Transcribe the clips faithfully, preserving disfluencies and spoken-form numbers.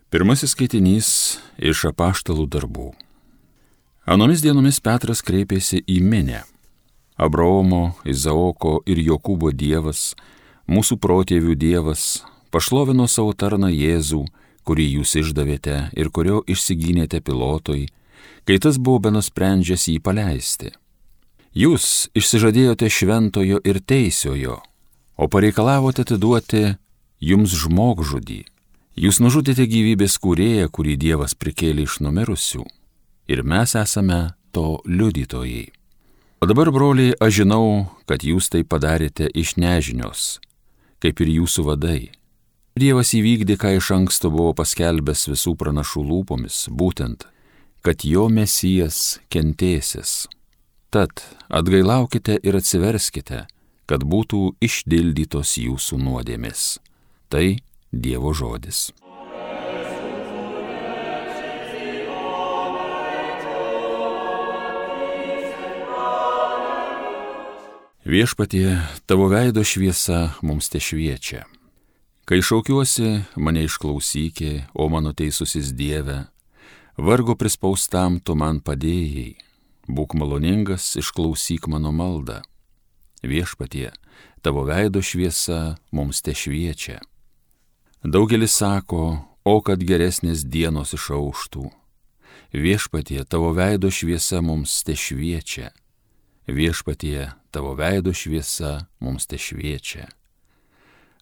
Pirmasis skaitinys iš apaštalų darbų. Anomis dienomis Petras kreipėsi į minią. Abraomo, Izaoko ir Jokūbo Dievas, mūsų protėvių Dievas, pašlovino savo tarną Jėzų, kurį jūs išdavėte ir kurio išsigynėte Pilotui, kai tas buvo benusprendžęs jį paleisti. Jūs išsižadėjote šventojo ir teisiojo, o pareikalavote atiduoti jums žmogžudį. Jūs nužudėte gyvybės kūrėją, kurį Dievas prikėlė iš numirusių, ir mes esame to liudytojai. O dabar, broliai, aš žinau, kad jūs tai padarėte iš nežinios, kaip ir jūsų vadai. Dievas įvykdė, ką iš anksto buvo paskelbęs visų pranašų lūpomis, būtent, kad jo Mesijas kentėsis. Tad atgailaukite ir atsiverskite, kad būtų išdildytos jūsų nuodėmės. Tai Dievo žodis. Viešpatie, tavo veido šviesa mums te šviečia. Kai šaukiuosi, mane išklausyki, o mano teisusis Dieve, vargo prispaustam tu man padėjai. Būk maloningas, išklausyk mano maldą. Viešpatie, tavo veido šviesa mums te šviečia. Daugelis sako, o kad geresnės dienos išauštų. Viešpatie, tavo veido šviesa mums te šviečia. Viešpatie, tavo veido šviesa mums te šviečia.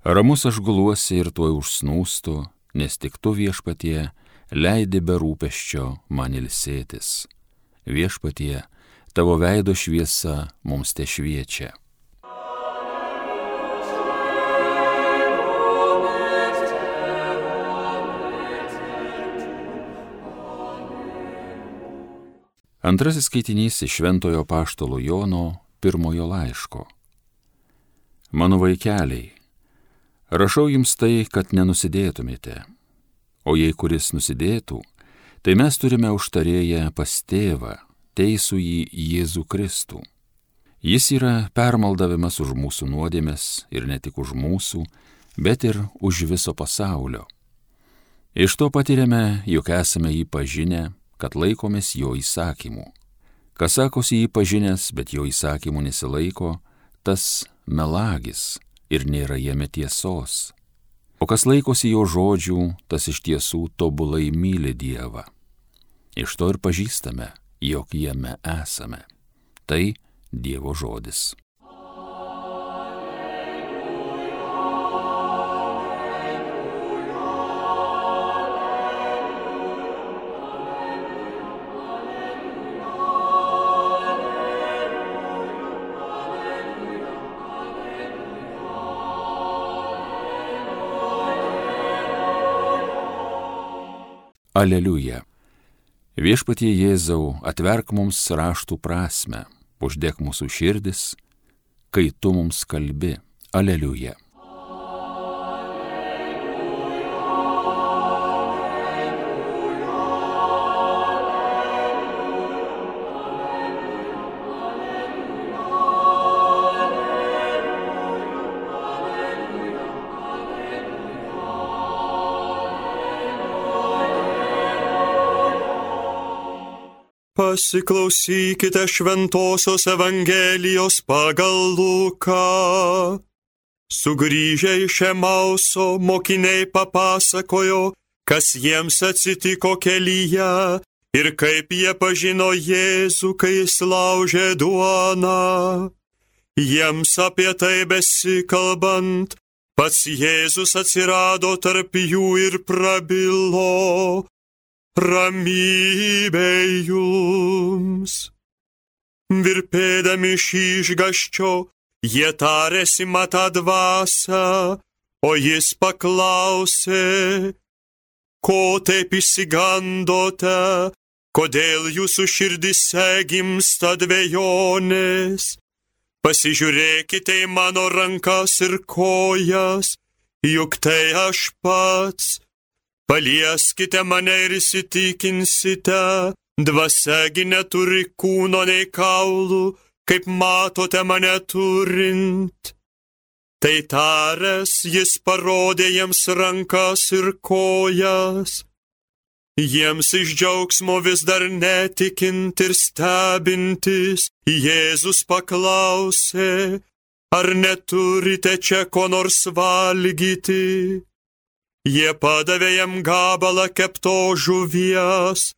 Ramus aš guluosi ir tuoj užsnūstu, nes tik tu, Viešpatie, leidi be rūpesčio man ilsėtis. Viešpatie, tavo veido šviesa mums te šviečia. Antrasis skaitinys iš Šventojo apaštalo Jono pirmojo laiško. Mano vaikeliai, rašau jums tai, kad nenusidėtumėte. O jei kuris nusidėtų, tai mes turime užtarėję pas tėvą, teisųjį Jėzų Kristų. Jis yra permaldavimas už mūsų nuodėmes ir ne tik už mūsų, bet ir už viso pasaulio. Iš to patiriame, jog esame jį pažinę, kad laikomės jo įsakymų. Kas sakosi jį pažinęs, bet jo įsakymų nesilaiko, tas melagis ir nėra jame tiesos. O kas laikosi jo žodžių, tas iš tiesų tobulai myli Dievą. Iš to ir pažįstame, jog jame esame. Tai Dievo žodis. Aleliuja. Viešpatie Jėzau, atverk mums raštų prasmę, uždek mūsų širdis, kai tu mums kalbi. Aleliuja. Pasiklausykite šventosios Evangelijos pagal Luką. Sugrįžę iš Emauso mokiniai papasakojo, kas jiems atsitiko kelyje ir kaip jie pažino Jėzų, kai jis laužė duoną. Jiems apie tai besikalbant, pats Jėzus atsirado tarp jų ir prabilo: ramybė jums. Virpėdami iš išgąsčio, jie tarėsi matą dvasią, o jis paklausė: ko taip išsigandote, kodėl jūsų širdise gimsta dvejonės? Pasižiūrėkite į mano rankas ir kojas, juk tai aš pats. Palieskite mane ir įsitikinsite, dvasiagi neturi kūno nei kaulų, kaip matote mane turint. Tai taręs, jis parodė jiems rankas ir kojas. Jiems iš džiaugsmo vis dar netikint ir stebintis, Jėzus paklausė, ar neturite čia ko nors valgyti? Jie padavė jam gabalą kepto žuvies,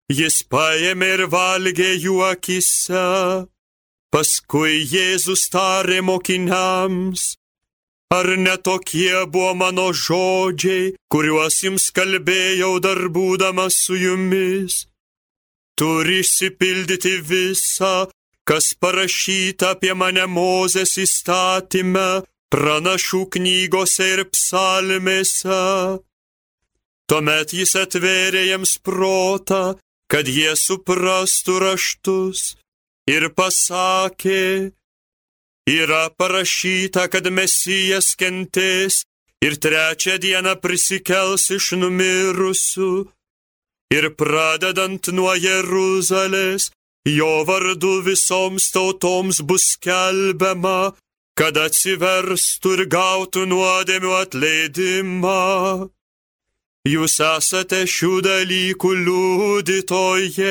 jis paėmė ir valgė jų akyse. Paskui Jėzus tarė mokiniams, ar ne tokie buvo mano žodžiai, kuriuos jums kalbėjau dar būdamas su jumis? Turi išsipildyti visa, kas parašyta apie mane Mozės įstatyme, pranašų knygose ir psalmėse. Tuomet jis atvėrė jiems protą, kad jie suprastų raštus, ir pasakė, yra parašyta, kad Mesijas kentės ir trečią dieną prisikels iš numirusių, ir pradedant nuo Jeruzalės, jo vardu visoms tautoms bus skelbiama, kad atsiverstų ir gautų nuodėmių atleidimą. Jūs esate šių dalykų liudytojai.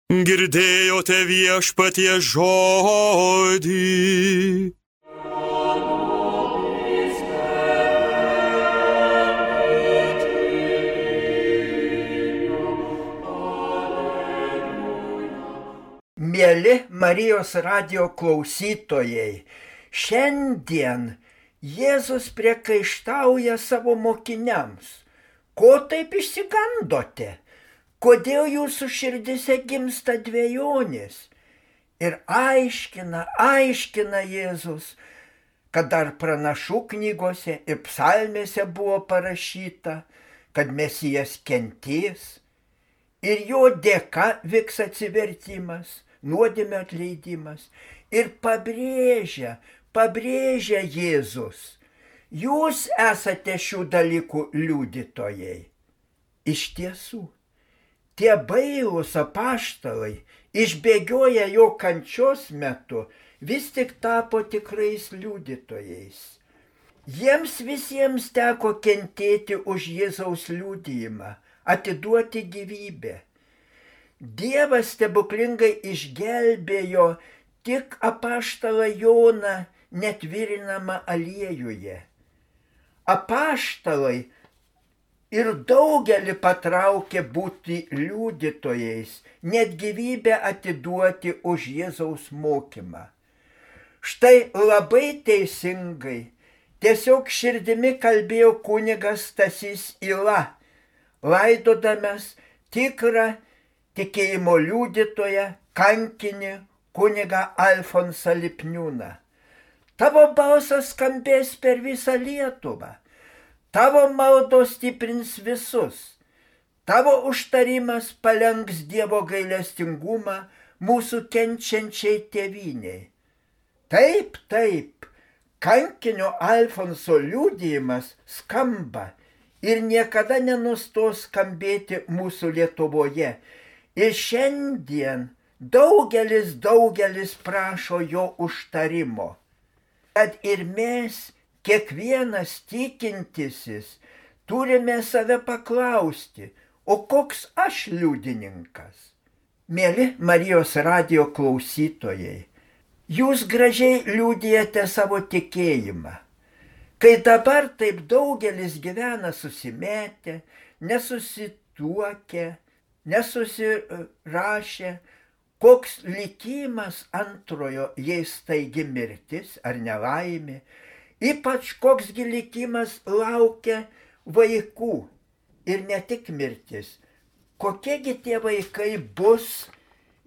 Girdėjote viešpaties žodį. Mieli Marijos radijo klausytojai, šiandien Jėzus priekaištauja savo mokiniams. Ko taip išsigandote? Kodėl jūsų širdise gimsta dvejonės? Ir aiškina, aiškina Jėzus, kad dar pranašų knygose ir psalmėse buvo parašyta, kad Mesijas kentės ir jo dėka vyks atsivertimas, nuodėmio atleidimas. Ir pabrėžia, pabrėžia Jėzus, jūs esate šių dalykų liudytojai. Iš tiesų, tie bailūs apaštalai, išbėgioję jo kančios metu, vis tik tapo tikrais liudytojais. Jiems visiems teko kentėti už Jėzaus liudijimą, atiduoti gyvybę. Dievas stebuklingai išgelbėjo tik apaštalą Joną net virinamą aliejuje. Apaštalai ir daugelį patraukė būti liudytojais, net gyvybę atiduoti už Jėzaus mokymą. Štai labai teisingai, tiesiog širdimi kalbėjo kunigas Stasys Yla, laidodamas tikrą tikėjimo liudytoją, kankinį kunigą Alfonsą Lipniūną. Tavo balsas skambės per visą Lietuvą. Tavo maldos stiprins visus. Tavo užtarimas palenks Dievo gailestingumą mūsų kenčiančiai tėvynei. Taip, taip, kankinio Alfonso liudijimas skamba ir niekada nenustos skambėti mūsų Lietuvoje. Ir šiandien daugelis, daugelis prašo jo užtarimo. Kad ir mes, kiekvienas tikintysis, turime save paklausti, o koks aš liudininkas? Mieli Marijos radijo klausytojai, jūs gražiai liudijate savo tikėjimą. Kai dabar taip daugelis gyvena susimetę, nesusituokę, nesusirašę, koks likimas antrojo, jei staigi mirtis ar nelaimė, ypač koksgi likimas laukia vaikų ir ne tik mirtis. Kokiegi tie vaikai bus,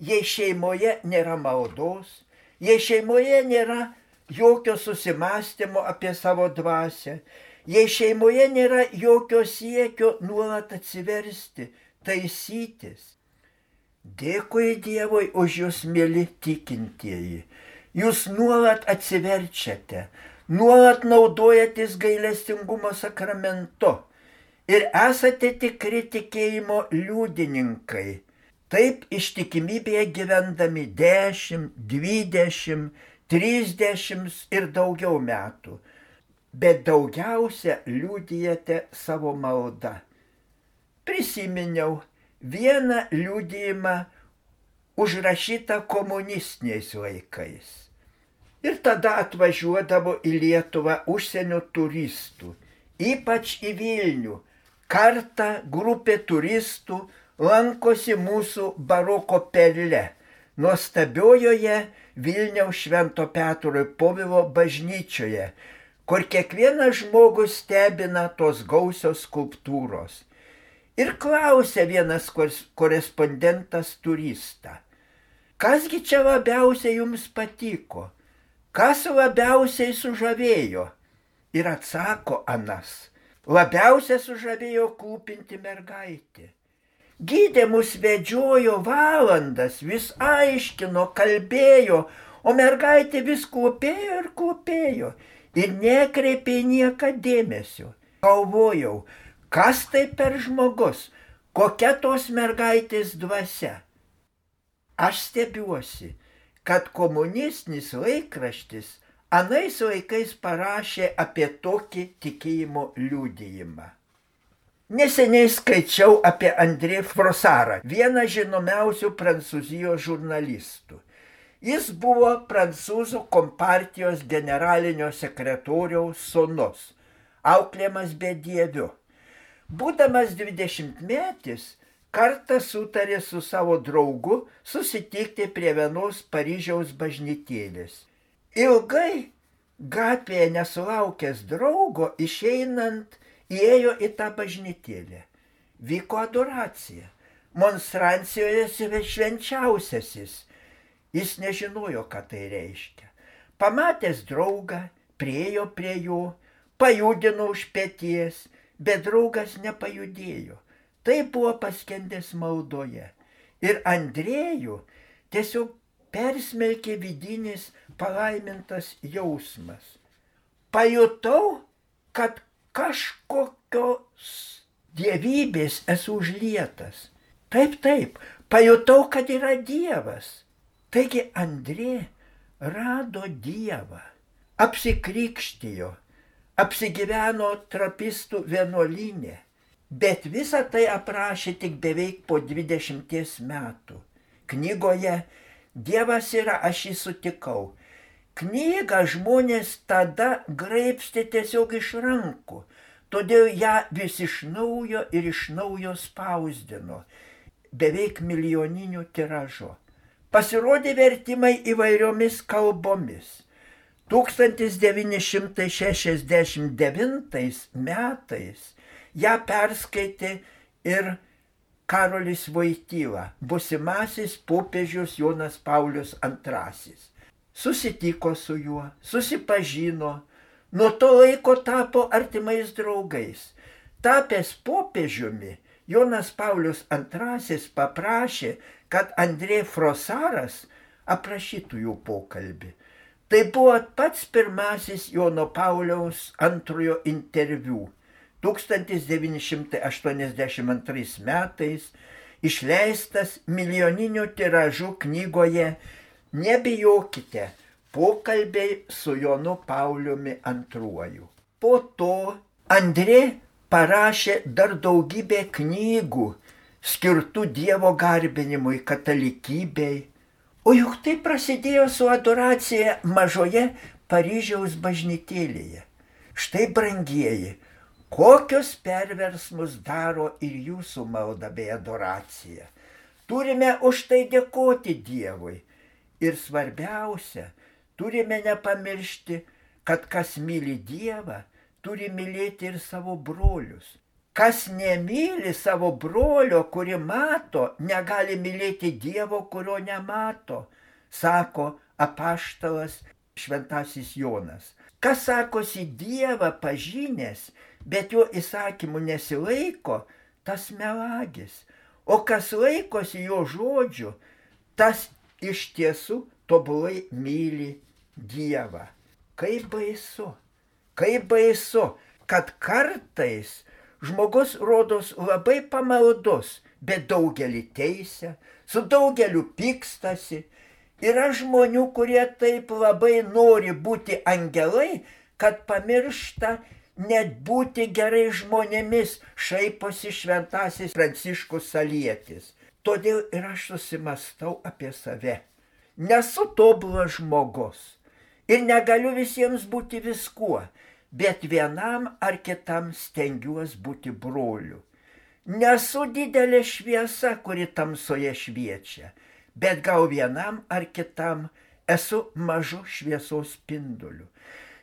jei šeimoje nėra maldos, jei šeimoje nėra jokio susimąstymo apie savo dvasią, jei šeimoje nėra jokio siekio nuolat atsiversti, taisytis. Dėkui Dievui už jūs, mieli tikintieji. Jūs nuolat atsiverčiate, nuolat naudojatės gailestingumo sakramentu ir esate tikri tikėjimo liudininkai. Taip ištikimybėje gyvendami dešimt, dvidešimt, trisdešimt ir daugiau metų. Bet daugiausia liudijate savo maldą. prisiminiau vieną liudijimą užrašytą komunistiniais laikais. Ir tada atvažiuodavo į Lietuvą užsienio turistų, ypač į Vilnių. Kartą grupė turistų lankosi mūsų baroko perle, nuostabiojoje Vilniaus Švento Petro ir Povilo bažnyčioje, kur kiekvienas žmogus stebina tos gausios skulptūros. Ir klausė vienas korespondentas turistą, kasgi čia labiausiai jums patiko, kas labiausiai sužavėjo? Ir atsako anas, labiausiai sužavėjo klūpinti mergaitė. Gidė mus vedžiojo valandas, vis aiškino, kalbėjo, o mergaitė vis klūpėjo ir klūpėjo ir nekreipė nieką dėmesio. Galvojau, kas tai per žmogus, kokia tos mergaitės dvasia. Aš stebiuosi, kad komunistinis laikraštis anais laikais parašė apie tokį tikėjimo liudijimą. Neseniai skaičiau apie Andrė Frossarą, vieną žinomiausių Prancūzijos žurnalistų. Jis buvo prancūzų kompartijos generalinio sekretoriaus sūnus, auklėjamas bedieviu. Būdamas dvidešimtmetis, kartą sutarė su savo draugu susitikti prie vienos Paryžiaus bažnytėlės. Ilgai gatvėje nesulaukęs draugo, išeinant, įėjo į tą bažnytėlę. Vyko adoracija. Monstrancijoje švenčiausiasis. Jis nežinojo, ką tai reiškia. Pamatęs draugą, priėjo prie jo, pajudino už peties, bet draugas nepajudėjo. Tai buvo paskendęs maldoje. Ir Andrėjų tiesiog persmelkė vidinis palaimintas jausmas. Pajutau, kad kažkokios dievybės esu užlietas. Taip, taip, pajutau, kad yra Dievas. Taigi Andrė rado Dievą, apsikrikštijo, apsigyveno trapistų vienuolyne, bet visą tai aprašė tik beveik po dvidešimties metų. Knygoje Dievas yra, aš jį sutikau. Knygą žmonės tada graibstė tiesiog iš rankų, todėl ją vis iš naujo ir iš naujo spausdino, beveik milijoniniu tiražu. Pasirodė vertimai įvairiomis kalbomis. tūkstantis devyni šimtai šešiasdešimt devintais metais ją perskaitė ir Karolis Voityla, būsimasis popiežius Jonas Paulius antrasis. Susitiko su juo, susipažino, nuo to laiko tapo artimais draugais. Tapęs popiežiumi, Jonas Paulius antrasis paprašė, kad Andrė Frossaras aprašytų jų pokalbį. Tai buvo pats pirmasis Jono Pauliaus antrojo interviu. tūkstantis devyni šimtai aštuoniasdešimt antrais metais išleistas milijoniniu tiražu knygoje Nebijokite, pokalbiai su Jonu Pauliumi antruoju. Po to Andrė parašė dar daugybę knygų skirtų Dievo garbinimui, katalikybei. O juk tai prasidėjo su adoracija mažoje Paryžiaus bažnytėlėje. Štai, brangieji, kokius perversmus daro ir jūsų malda bei adoracija. Turime už tai dėkoti Dievui. Ir svarbiausia, turime nepamiršti, kad kas myli Dievą, turi mylėti ir savo brolius. Kas nemyli savo brolio, kurį mato, negali mylėti Dievo, kurio nemato, sako apaštalas šventasis Jonas. Kas sakosi Dievą pažinęs, bet jo įsakymų nesilaiko, tas melagis. O kas laikosi jo žodžių, tas iš tiesų tobulai myli Dievą. Kaip baisu, kaip baisu, kad kartais žmogus rodos labai pamaldus, bet daugelį teisia, su daugeliu pykstasi. Yra žmonių, kurie taip labai nori būti angelai, kad pamiršta net būti gerai žmonėmis, šaiposi šventasis Pranciškus Salietis. Todėl ir aš susimastau apie save. Nesu tobulas žmogus ir negaliu visiems būti viskuo, bet vienam ar kitam stengiuosi būti broliu. Nesu didelė šviesa, kuri tamsoje šviečia, bet gal vienam ar kitam esu mažu šviesos spinduliu.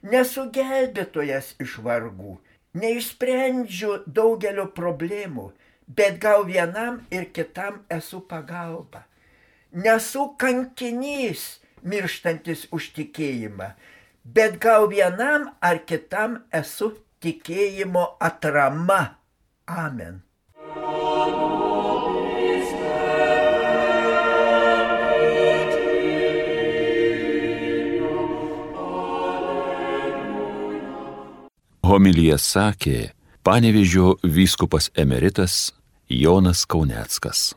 Nesu gelbėtojas iš vargų, neišsprendžiu daugelio problemų, bet gal vienam ir kitam esu pagalba. Nesu kankinys, mirštantis už tikėjimą, bet gal vienam ar kitam esu tikėjimo atrama. Amen. Homiliją sakė Panevėžio vyskupas emeritas Jonas Kauneckas.